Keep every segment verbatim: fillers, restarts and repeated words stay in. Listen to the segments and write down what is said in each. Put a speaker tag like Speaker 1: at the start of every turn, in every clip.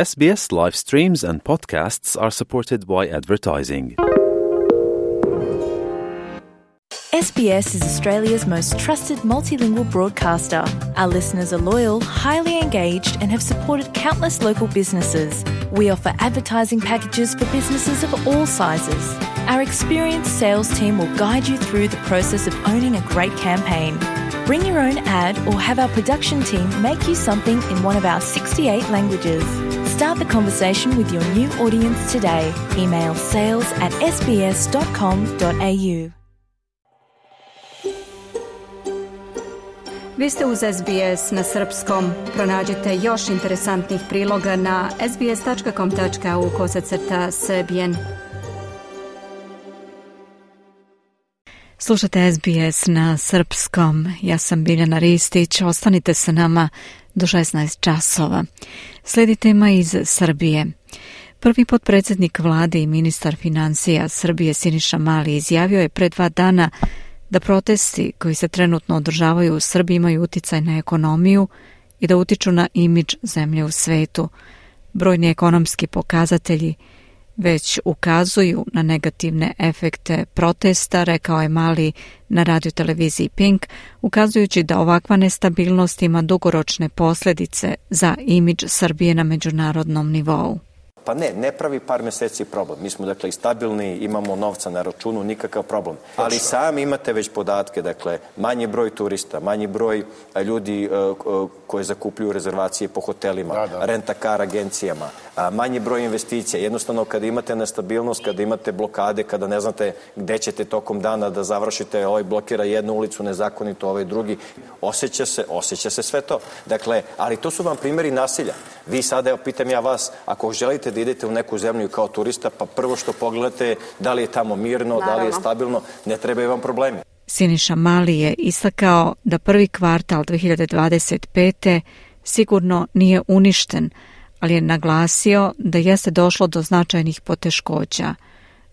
Speaker 1: S B S live streams and podcasts are supported by advertising.
Speaker 2: S B S is Australia's most trusted multilingual broadcaster. Our listeners are loyal, highly engaged, and have supported countless local businesses. We offer advertising packages for businesses of all sizes. Our experienced sales team will guide you through the process of owning a great campaign. Bring your own ad or have our production team make you something in one of our sixty-eight languages. Start the conversation with your new audience today. Email sales at s b s dot com dot a u.
Speaker 3: Vi ste uz S B S na srpskom. Pronađite još interesantnih priloga na s b s dot com dot a u kosacrta srbijen.
Speaker 4: Slušate S B S na srpskom. Ja sam Biljana Ristić. Ostanite sa nama do šesnaest časova. Slijedi tema iz Srbije. Prvi potpredsjednik vlade i ministar financija Srbije Siniša Mali izjavio je pre dva dana da protesti koji se trenutno održavaju u Srbiji imaju uticaj na ekonomiju i da utiču na imidž zemlje u svetu. Brojni ekonomski pokazatelji već ukazuju na negativne efekte protesta, rekao je Mali na radioteleviziji Pink, ukazujući da ovakva nestabilnost ima dugoročne posljedice za imidž Srbije na međunarodnom nivou.
Speaker 5: Pa ne, ne pravi par meseci problem. Mi smo dakle i stabilni, imamo novca na računu, nikakav problem. Ali sami imate već podatke, dakle manji broj turista, manji broj ljudi uh, koji zakupljuju rezervacije po hotelima, da, da. renta-kar agencijama, a, manji broj investicija. Jednostavno kada imate nestabilnost, kada imate blokade, kada ne znate gde ćete tokom dana da završite, ovaj blokira jednu ulicu nezakonito, ovaj drugi, osjeća se, osjeća se sve to. Dakle, ali to su vam primjeri nasilja. Vi sada, evo, pitam ja vas, ako želite da idete u neku zemlju kao turista, pa prvo što pogledate da li je tamo mirno, Naravno. da li je stabilno, ne trebaju vam problemi.
Speaker 4: Siniša Mali je istakao da prvi kvartal dve hiljade dvadeset pete sigurno nije uništen, ali je naglasio da jeste došlo do značajnih poteškoća,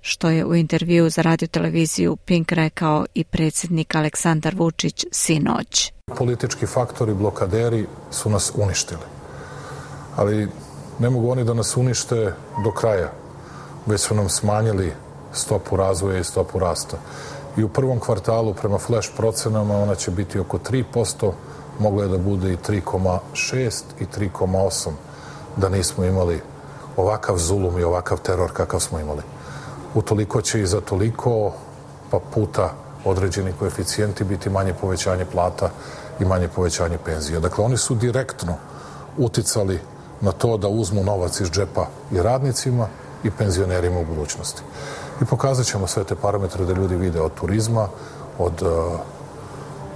Speaker 4: što je u intervjuu za radioteleviziju Pink rekao i predsjednik Aleksandar Vučić sinoć.
Speaker 6: Politički faktori, blokaderi su nas uništili. Ali ne mogu oni da nas unište do kraja, već su nam smanjili stopu razvoja i stopu rasta. I u prvom kvartalu prema flash procenama ona će biti oko tri posto, mogla je da bude i tri zarez šest i tri zarez osam da nismo imali ovakav zulum i ovakav teror kakav smo imali. Utoliko će i za toliko pa puta određeni koeficijenti biti manje povećanje plata i manje povećanje penzija. Dakle, oni su direktno uticali na to da uzmu novac iz džepa i radnicima i penzionerima u budućnosti. I pokazat ćemo sve te parametre da ljudi vide od turizma, od uh,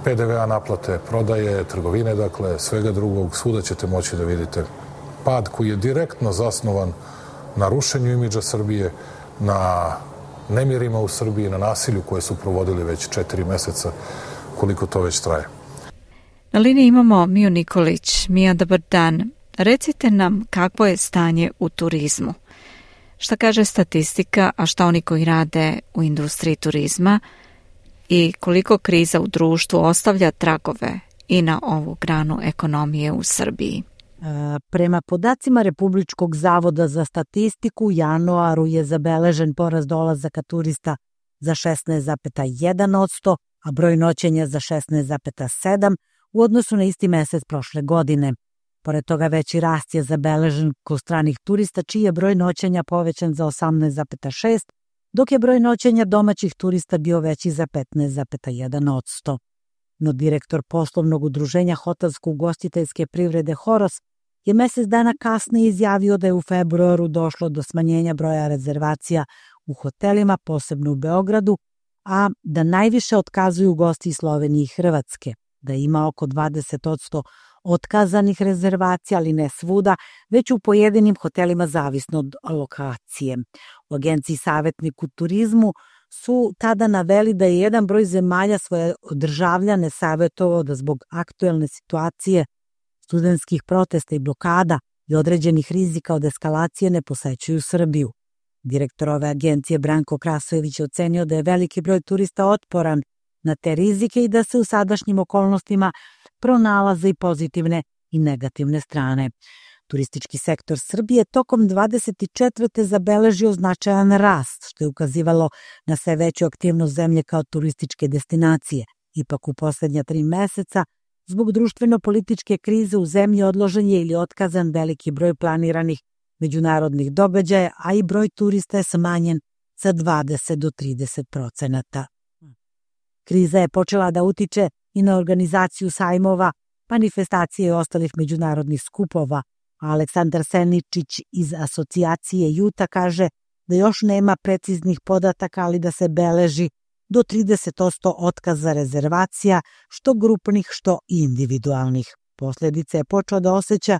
Speaker 6: pe de ve a naplate, prodaje, trgovine, dakle, svega drugog, svuda ćete moći da vidite pad koji je direktno zasnovan na rušenju imidža Srbije, na nemirima u Srbiji, na nasilju koje su provodili već četiri meseca, koliko to već traje.
Speaker 4: Na liniji imamo Miju Nikolić. Mija, dobar dan. Recite nam kakvo je stanje u turizmu. Šta kaže statistika, a šta oni koji rade u industriji turizma i koliko kriza u društvu ostavlja tragove i na ovu granu ekonomije u Srbiji?
Speaker 7: Prema podacima Republičkog zavoda za statistiku, u januaru je zabeležen porast dolazaka turista za šesnaest zarez jedan posto, a broj noćenja za šesnaest zarez sedam posto u odnosu na isti mesec prošle godine. Pored toga veći rast je zabeležen kod stranih turista, čiji je broj noćenja povećan za osamnaest zarez šest posto, dok je broj noćenja domaćih turista bio veći za petnaest zarez jedan posto. No direktor poslovnog udruženja hotelsko-ugostiteljske privrede Horos je mesec dana kasnije izjavio da je u februaru došlo do smanjenja broja rezervacija u hotelima, posebno u Beogradu, a da najviše otkazuju gosti iz Slovenije i Hrvatske, da ima oko dvadeset posto otkazanih rezervacija, ali ne svuda, već u pojedinim hotelima zavisno od lokacije. U agenciji Savjetnik u turizmu su tada naveli da je jedan broj zemalja svoje državljane savjetovao da zbog aktuelne situacije, studentskih protesta i blokada i određenih rizika od eskalacije ne posećuju Srbiju. Direktor ove agencije Branko Krasojević je ocenio da je veliki broj turista otporan na te rizike i da se u sadašnjim okolnostima pronalaze i pozitivne i negativne strane. Turistički sektor Srbije tokom dvadeset četvrte zabeležio značajan rast, što je ukazivalo na sve veću aktivnost zemlje kao turističke destinacije. Ipak u posljednja tri meseca, zbog društveno-političke krize u zemlji odložen je ili otkazan veliki broj planiranih međunarodnih događaja, a i broj turista je smanjen sa dvadeset do trideset procenata. Kriza je počela da utiče i na organizaciju sajmova, manifestacije i ostalih međunarodnih skupova, a Aleksandar Seničić iz asocijacije Juta kaže da još nema preciznih podataka, ali da se beleži do trideset posto otkaza rezervacija, što grupnih, što i individualnih. Posljedice je počeo da osjeća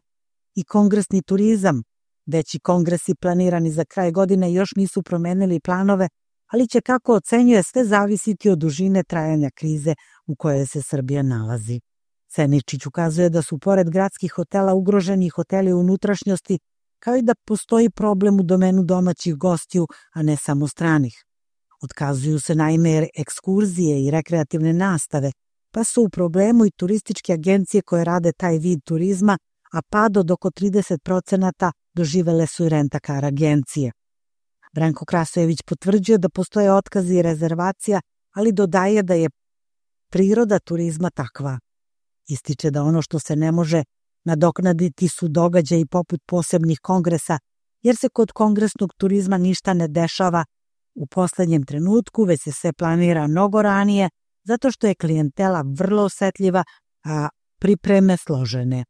Speaker 7: i kongresni turizam. Veći kongresi planirani za kraj godine još nisu promenili planove, ali će, kako ocenjuje, sve zavisiti od dužine trajanja krize u kojoj se Srbija nalazi. Seničić ukazuje da su pored gradskih hotela ugroženi hoteli u unutrašnjosti, kao i da postoji problem u domenu domaćih gostiju, a ne samo stranih. Otkazuju se naime ekskurzije i rekreativne nastave, pa su u problemu i turističke agencije koje rade taj vid turizma, a pad od oko trideset procenata doživele su i rentakar agencije. Branko Krasojević potvrđuje da postoje otkazi i rezervacija, ali dodaje da je priroda turizma takva. Ističe da ono što se ne može nadoknaditi su događaji poput posebnih kongresa, jer se kod kongresnog turizma ništa ne dešava u posljednjem trenutku, već se sve planira mnogo ranije, zato što je klijentela vrlo osetljiva, a pripreme složene.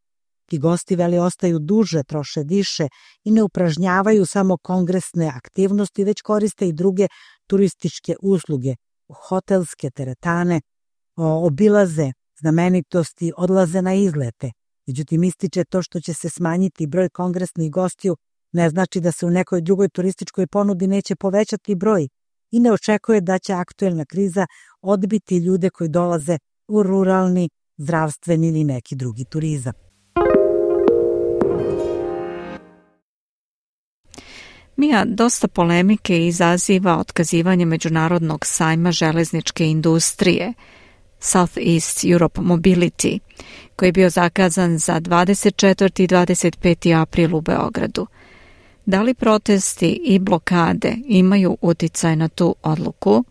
Speaker 7: Ti gosti, veli, ostaju duže, troše više i ne upražnjavaju samo kongresne aktivnosti, već koriste i druge turističke usluge, hotelske teretane, obilaze znamenitosti, odlaze na izlete. Međutim, ističe to što će se smanjiti broj kongresnih gostiju, ne znači da se u nekoj drugoj turističkoj ponudi neće povećati broj i ne očekuje da će aktuelna kriza odbiti ljude koji dolaze u ruralni, zdravstveni ili neki drugi turizam.
Speaker 4: Mija, dosta polemike izaziva otkazivanje međunarodnog sajma železničke industrije Southeast Europe Mobility, koji je bio zakazan za dvadeset četvrti i dvadeset peti april u Beogradu. Da li protesti i blokade imaju uticaj na tu odluku?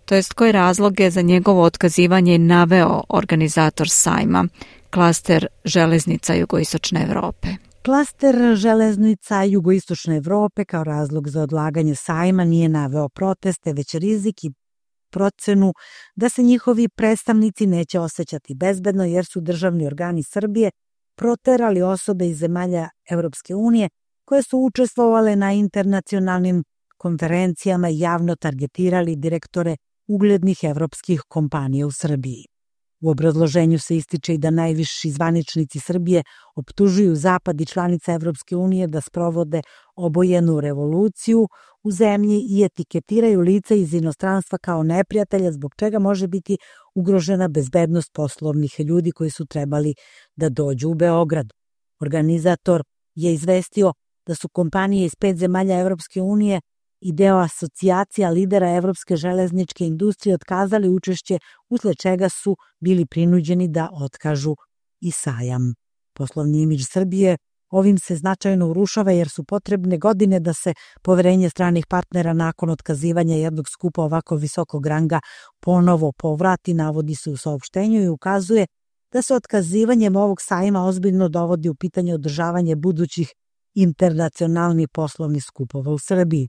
Speaker 4: To jest, koje razloge za njegovo otkazivanje naveo organizator sajma, klaster železnica Jugoistočne Evrope?
Speaker 7: Klaster železnica Jugoistočne Evrope kao razlog za odlaganje sajma nije naveo proteste, već rizik i procenu da se njihovi predstavnici neće osjećati bezbedno, jer su državni organi Srbije proterali osobe iz zemalja Evropske unije koje su učestvovale na internacionalnim konferencijama i javno targetirali direktore uglednih evropskih kompanija u Srbiji. U obrazloženju se ističe i da najviši zvaničnici Srbije optužuju Zapad i članice Evropske unije da sprovode obojenu revoluciju u zemlji i etiketiraju lica iz inostranstva kao neprijatelja, zbog čega može biti ugrožena bezbednost poslovnih ljudi koji su trebali da dođu u Beograd. Organizator je izvestio da su kompanije iz pet zemalja Evropske unije i deo asocijacija lidera evropske železničke industrije otkazali učešće, usled čega su bili prinuđeni da otkažu i sajam. Poslovni imidž Srbije ovim se značajno urušava, jer su potrebne godine da se poverenje stranih partnera nakon otkazivanja jednog skupa ovako visokog ranga ponovo povrati, navodi se u saopštenju i ukazuje da se otkazivanjem ovog sajma ozbiljno dovodi u pitanje održavanje budućih internacionalnih poslovnih skupova u Srbiji.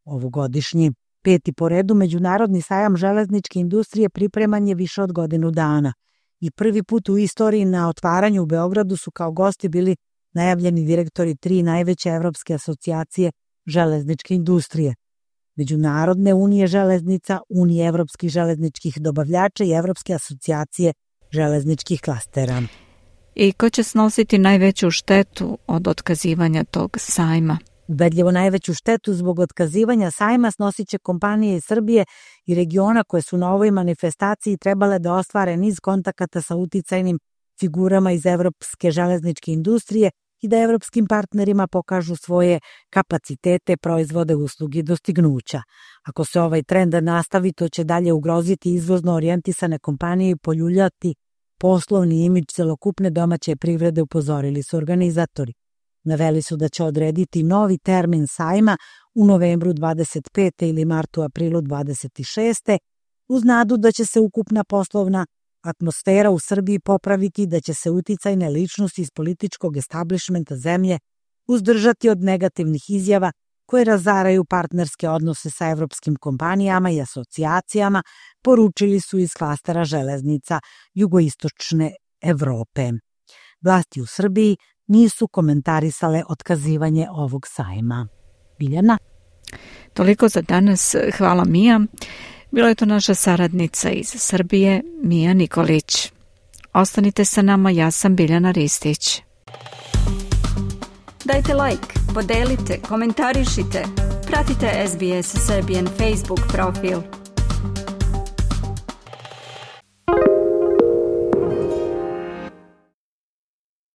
Speaker 7: Ovogodišnji peti po redu međunarodni sajam železničke industrije pripreman je više od godinu dana i prvi put u istoriji na otvaranju u Beogradu su kao gosti bili najavljeni direktori tri najveće evropske asocijacije železničke industrije: Međunarodne unije železnica, Unije evropskih železničkih dobavljača i Evropske asocijacije železničkih klastera.
Speaker 4: I ko će snositi najveću štetu od otkazivanja tog sajma?
Speaker 7: Ubedljivo najveću štetu zbog otkazivanja sajma snosit će kompanije iz Srbije i regiona koje su na ovoj manifestaciji trebale da ostvare niz kontakata sa uticajnim figurama iz evropske železničke industrije i da evropskim partnerima pokažu svoje kapacitete, proizvode, usluge i dostignuća. Ako se ovaj trend nastavi, to će dalje ugroziti izvozno orijentisane kompanije i poljuljati poslovni imidž celokupne domaće privrede, upozorili su organizatori. Naveli su da će odrediti novi termin sajma u novembru dvadeset pete ili martu aprilu dvadeset šeste uz nadu da će se ukupna poslovna atmosfera u Srbiji popraviti, da će se uticajne ličnosti iz političkog establishmenta zemlje uzdržati od negativnih izjava koje razaraju partnerske odnose sa evropskim kompanijama i asocijacijama, poručili su iz klastera železnica jugoistočne Evrope. Vlasti u Srbiji nisu komentarisale otkazivanje ovog sajma. Biljana?
Speaker 4: Toliko za danas. Hvala, Mija. Bila je to naša saradnica iz Srbije, Mija Nikolić. Ostanite sa nama, ja sam Biljana Ristić.
Speaker 3: Dajte like, podelite, komentarišite. Pratite S B S Serbian Facebook profil.